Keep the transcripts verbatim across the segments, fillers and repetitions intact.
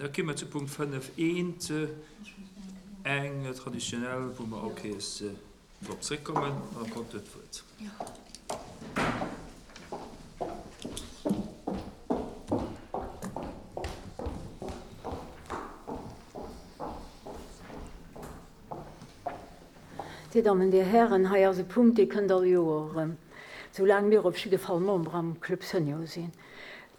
Da komme mer zu Punkt fënnef eent, eng traditionell, wou mer all Kéiers drop zréckkommen. Madame Conter huet d'Wuert. Dir Dammen, Dir Hären, hei ass e Punkt, dee kënnt all Joer erëm, soulaang mir op jidde Fall Member am Club Senior sinn.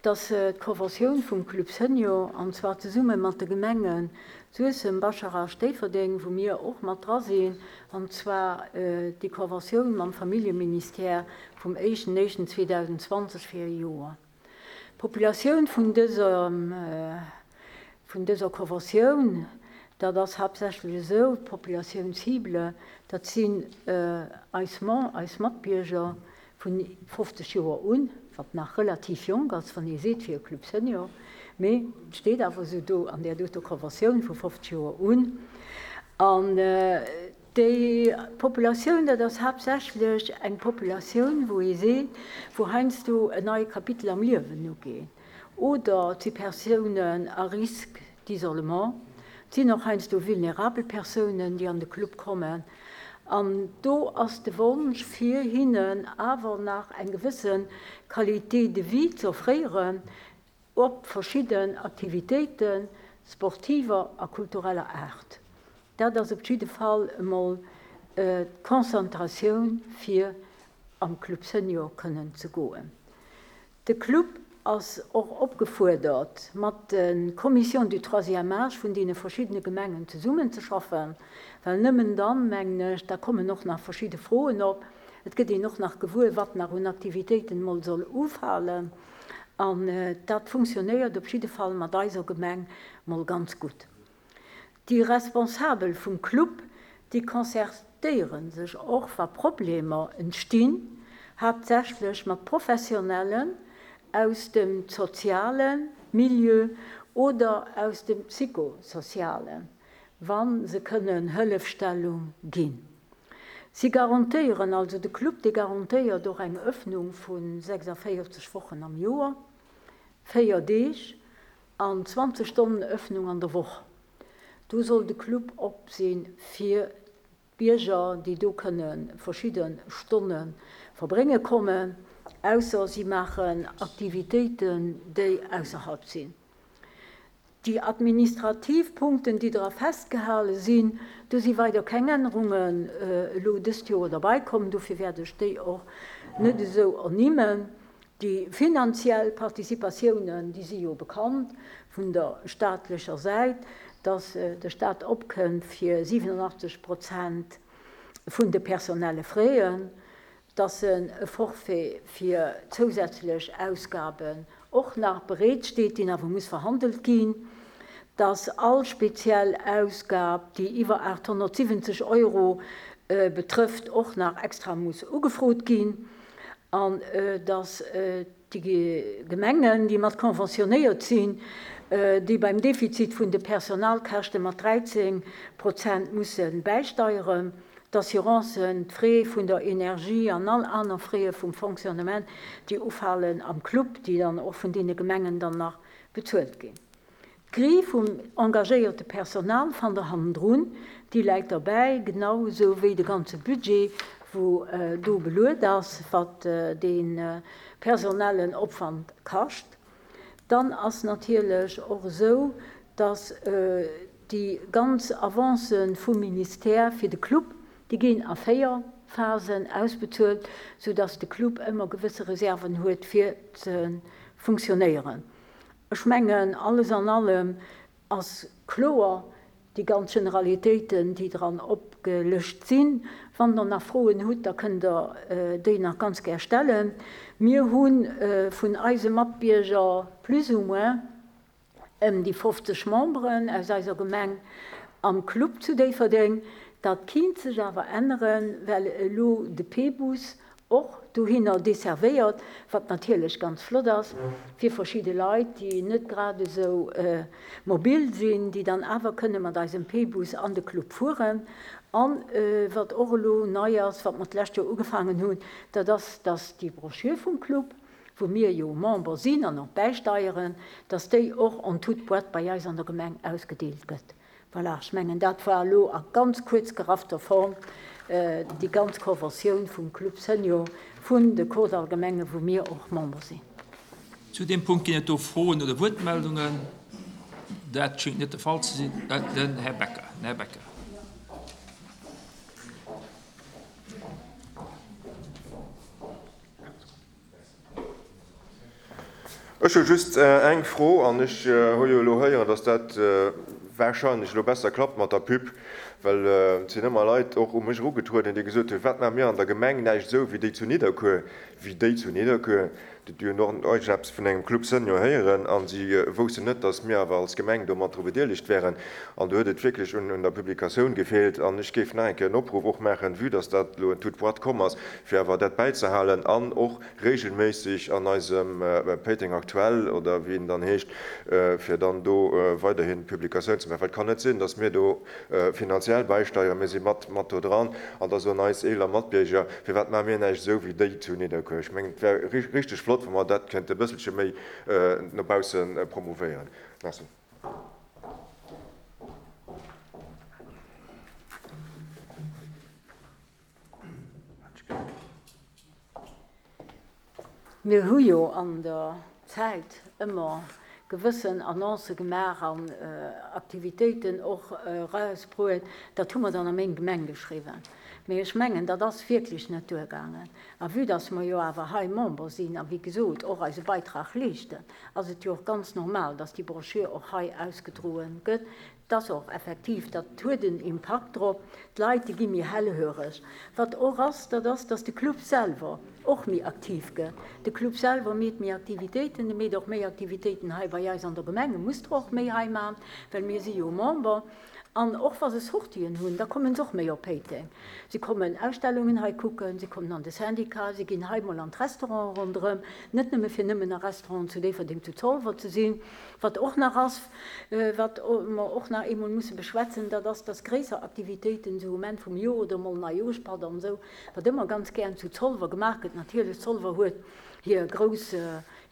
Et ass d'Conventioun vum Club Senior, an zwar zesumme mat de Gemenge Suessem, Bascharage, Déifferdeng, wou mir och mat dra sinn, an zwar déi Conventioun mam Familljeministère vum éischten éischten zweedausendzwanzeg fir e Joer. D'Populatioun vun dëser, vun dëser Conventioun, dat ass haaptsächlech esou, d'Populatioun cible, dat sinn eis Mem-, eis Matbierger vun fofzeg Joer un, wat nach relativ jonk ass, wann ee seet fir e Club Senior, mee et steet awer esou do an där doter Conventioun, vu fofzeg Joer un. An déi Populatioun, dat ass haaptsächlech eng Populatioun, wou ee seet, wou heiansdo en neie Kapitel am Liewen ugeet, oder et si Persounen à risque d'isolement, et sinn och heiansdo vulnerabel Persounen, déi an de Club kommen. An do ass de Wonsch, fir hinnen awer nach eng gewësse Qualité de vie ze offréieren op verschidden Aktivitéiten, sportiver a kultureller Aart. Dat ass op jidde Fall emol d'Konzentratioun, fir am Club Senior kënnen ze goen. De Club ass och opgefuerdert, mat de Commissions du troisième âge vun deene verschiddene Gemengen zesummenzeschaffen, well nëmmen dann, mengen ech, da kommen och nach verschidde Froen op, et gëtt een och nach gewuer, wat nach un Aktivitéiten emol soll ufalen, an dat funktionéiert op jidde Fall mat eiser Gemeng mol ganz gutt. Déi Responsabel vum Club, déi concertéiere sech och, wa Problemer entstinn, haaptsächlech mat Professionellen aus dem soziale Milieu oder aus dem psychosozialen, wa se kënnen Hëllefstellung ginn. Si garantéieren, also de Club, dee garantéiert och eng Öffnung vu sechsundvierzig Wochen am Joer, véier Deeg an zwanzeg Stonnen Öffnung an der Woch. Do soll de Club op sinn fir d'Bierger, déi do kënne verschidde Stonne verbrénge kommen, ausser si maachen Aktivitéiten, déi ausserhalb sinn. Déi administrativ Punkten, déi dra festgehale sinn, do si weider keng Ännerungen elo dëst Joer derbäi kommen, dofir wäert ech déi och net esou ernimmen. Déi finanziell Participatiounen, déi si jo bekannt vun der staatlecher Säit, dass de Staat opkënnt fir siebenundachtzig Prozent vun de personelle Frais, dass en e Forfait fir zousätzlech Ausgaben och nach bereet steet, deen awer muss verhandelt ginn, dass all speziell Ausgab, déi iwwer achthundertsiwwenzeg Euro betrëfft, och nach extra muss ugefrot ginn, an dass déi Gemengen, déi mat konventionéiert sinn, déi beim Defizit vun de Personalkäschte mat dreizehn Prozent musse bäisteieren, d'Assurancen, d'Frais vun der Energie an all aner Frais vum Fonctionnement, déi ufalen am Club, déi dann och vun deene Gemengen dann nach bezuelt ginn. D'Grille vum engagéierte Personal fannt der hannendrun, déi läit derbäi, genau esou wéi de ganze Budget, wou do beluet ass, wat de personellen Opwand kascht. Dann ass natierlech och esou, dass déi ganz Avancen vum Ministère fir de Club, déi ginn a véier Phasen ausbezuelt, sodass de Club ëmmer gewësse Reserven huet fir ze funktionéieren. Ech mengen, alles an allem ass kloer, déi ganz Generalitéiten, déi dran opgelëscht sinn. Wann der nach Froen hutt, da kënnt der déi nach ganz gär stellen. Mir hunn vun eise Matbierger plus ou moins ëm déi fofzeg Memberen aus eiser Gemeng am Club zu Déifferdeng. Dat kinnt sech awer änneren, well elo de P-Bus och dohinner desservéiert, wat natierlech ganz flott ass fir verschidde Leit, déi net grad esou mobil sinn, déi dann awer kënne mat eisem P-Bus an de Club fueren. An wat och elo nei ass, wat mer d'lescht Joer ugefaangen hunn, dat ass, dass déi Broschür vum Club wou mir jo Member sinn an och bäisteieren, dass déi och en toute boîte bei eis an der Gemeng ausgedeelt gëtt. Voilà, ech mengen, dat war elo a ganz kuerz geraffter Form déi ganz Conventioun vum Club Senior vun de Kordallgemengen, wou mir och Member sinn. Zu deem Punkt ginn et do Froen oder Wuertmeldungen? Dat schéngt net de Fall ze sinn. Den Här Becker. Den Här Becker. Ech hu just eng Fro, an ech hu jo elo héieren, dass dat warscheinlech elo besser klappt mat der Pub, well et sinn ëmmer Leit och u mech erugetrueden, déi gesot hunn, Wat maache mir an der Gemeng näischt esou wéi déi zu Nidderkuer, wéi déi zu Nidderkuer, déi hunn och iergendeppes vun engem Club Senior héieren a si woussten net, dass mir awer als Gemeng do mat dru bedeelegt wären. An do huet et wierklech un der Publikatioun gefeelt. An ech géif nach eng Kéier en Opruff och maachen, vue dass dat elo en toute boîte komm ass, fir awer dat bäizehalen an och regelméisseg an eisem Péiteng Aktuell oder wéi en dann heescht, fir dann do weiderhin Publikatioun ze maachen. Well et kann net sinn, dass mir do finanziell bäisteieren, mir si mat mat do dran an da soen eis eeler Matbierger, firwat maache mir näischt esou wéi déi zu Nidderkuer. Ech mengen, et wär richteg flott, wa mer dat kéinte e bësselche méi no bausse promouvéieren. Merci. Mir hu jo an der Zäit ëmmer gewëssen Annoncë gemaach an Aktivitéiten och erausbruet. Dat hu mer dann a meng Gemeng geschriwwen. Mee ech mengen, dat ass wierklech net duergaangen. A vue dass mer jo awer hei Member sinn a wéi gesot och eise Beitrag leeschten, ass et jo och ganz normal, dass déi Broschür och hei ausgedroen gëtt. Et ass och effektiv, dat huet en Impakt drop, d'Leit, déi gi méi hellhöreg. Wat och ass, dat ass, dass de Club selwer och méi aktiv gëtt. De Club selwer meet méi Aktivitéiten, e meet och méi Aktivitéiten hei bei eis an der Gemeng, e muss der och méi hei maachen, well mir si jo Member. An och wa se Sortien hunn, da kommen se och méi op Péiteng. Si kommen Ausstellungen hei kucken, si kommen an de Syndicat, si ginn hei mol an d'Restauranten ronderëm, net nëmme fir nëmmen a Restauranten zu Déifferdeng, zu Zolwer ze sinn. Wat och nach ass, wat mer och nach eemol musse beschwätzen, dat ass, dass gréisser Aktivitéiten esou um Enn vum Joer oder mol Neijoerschpatt an esou, wat ëmmer ganz gären zu Zolwer gemaach gëtt, natierlech Zolwer huet hir grouss,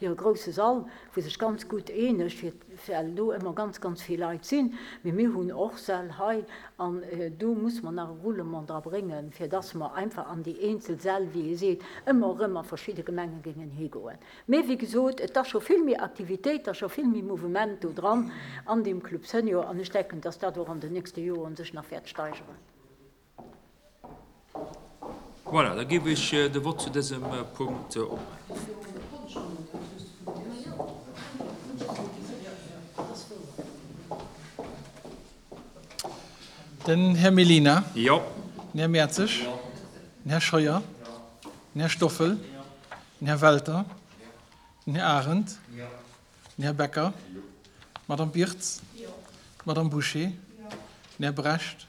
hire grousse Sall, wou sech ganz gutt eenegt, fir, well do ëmmer ganz, ganz vill Leit sinn. Mee mir hunn och Säll hei an do muss mer nach e Roulement dra bréngen, fir dass mer einfach an déi eenzel Säll, wéi ee seet, ëmmer erëm a verschidde Gemenge géingen higoen. Mee wéi gesot, et ass scho vill méi Aktivitéit, et ass scho vill méi Mouvement do dran an deem Club Senior an ech denken, dass dat och an den nächste Joren sech nach wäert steigeren. Voilà, da géif ech de Vott zu dësem Punkt opmaachen. Den Här Mellina. Jo. Den Här Mertzig. Den Här Scheuer. Den Här Stoffel. Den Här Welter. Den Här Arendt. Den Här Becker. D'Madame Birtz. D'Madame Bouché. Den Här Brecht.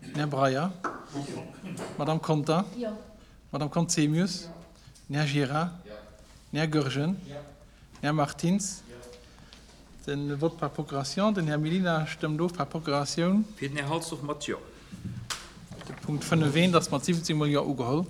Den Här Breyer. D'Madame Conter. D'Madame Conzemius. Den Här Gira. Den Här Goergen. Den Här Martins. Den Vote par procuration. Den Här Mellina stëmmt of par Procuratioun. Fir den Här Halsdorf mat Jo. De Punkt fënnef eent ass mat siwwenzéng mol Jo ugeholl.